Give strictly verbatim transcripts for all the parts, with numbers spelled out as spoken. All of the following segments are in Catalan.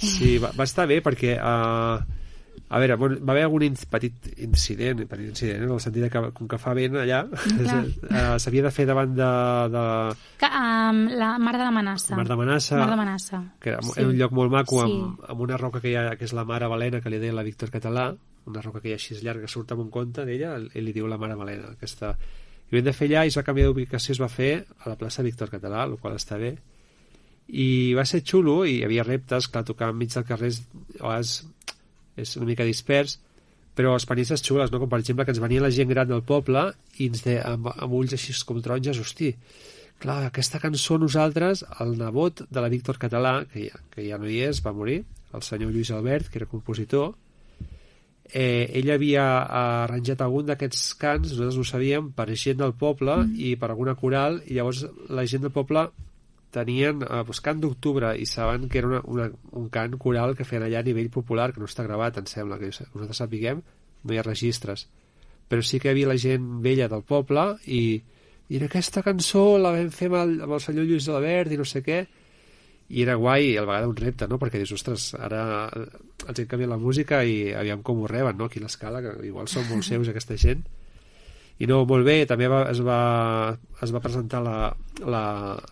Sí, va, va estar bé perquè uh, a veure, bueno, va haver algun in petit incident, petit incident en el sentit que com que fa vent allà uh, s'havia de fer davant de, de... Que, um, la Mar de la Manassa Mar de Manassa, Mar de Manassa. Que era sí. un lloc molt maco sí. amb, amb una roca que hi ha, que és la Mare Balena, que li deia la Víctor Català, una roca que hi ha així llarga que surt amb un conte d'ella, ell li diu la Mare Balena, aquesta... i vam de fer allà i es va canviar d'ubicació, es va fer a la plaça Víctor Català, el qual està bé, i va ser xulo, i hi havia reptes, clar, tocar enmig del carrer és, és, és una mica dispers, però experiències xules, no? Com per exemple que ens venia la gent gran del poble i ens de, amb, amb ulls així com taronges, hosti, clar, aquesta cançó nosaltres, el nebot de la Víctor Català, que ja, que ja no hi és, va morir, el senyor Lluís Albert, que era compositor, eh, ell havia arranjat algun d'aquests cants, nosaltres ho sabíem, per gent del poble mm. i per alguna coral, i llavors la gent del poble tenien eh, pues, cant d'octubre i saben que era una, una, un cant coral que feien allà a nivell popular, que no està gravat, em sembla, que nosaltres sapiguem, no hi ha registres, però sí que hi havia la gent vella del poble i, i en aquesta cançó la vam fer amb el, amb el senyor Lluís Albert i no sé què, i era guai, i a la vegada un repte, no? Perquè dius, ostres, ara els hem canviat la música i aviam com ho reben, no? Aquí a l'escala, que igual són molt seus aquesta gent. I no, molt bé, també va, es, va, es va presentar la, la,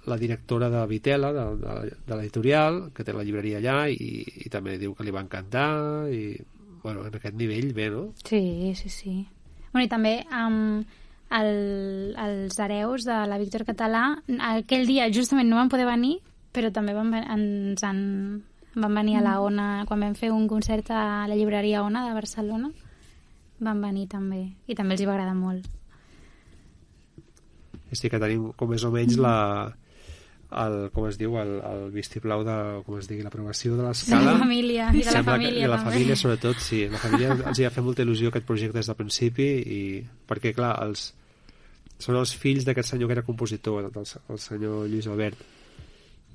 la directora de Vitela, de, de, de l'editorial, que té la llibreria allà, i, i també diu que li va encantar, i bueno, en aquest nivell bé, no? Sí, sí, sí. Bueno, i també um, el, els hereus de la Víctor Català, aquell dia justament no van poder venir, però també van, ens han, van venir a la Ona, quan vam fer un concert a la llibreria Ona de Barcelona, van venir també, i també els hi va agradar molt. Sí, que tenim com més o menys la, el, com es diu, el, el vistiplau de, com es digui, l'aprovació de l'escala. De la família, i de la família que, I de la també. família, sobretot, sí. La família els hi ha fet molta il·lusió aquest projecte des del principi, i perquè, clar, els, són els fills d'aquest senyor que era compositor, el, el senyor Lluís Albert,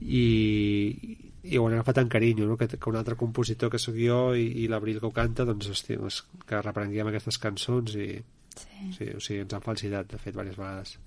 i, i ho han agafat en carinyo, no? que, que un altre compositor que sóc jo i, i l'Abril que ho canta, doncs, hosti, doncs que reprenguem aquestes cançons i sí. Sí, o sigui, ens han felicitat, de fet, diverses vegades.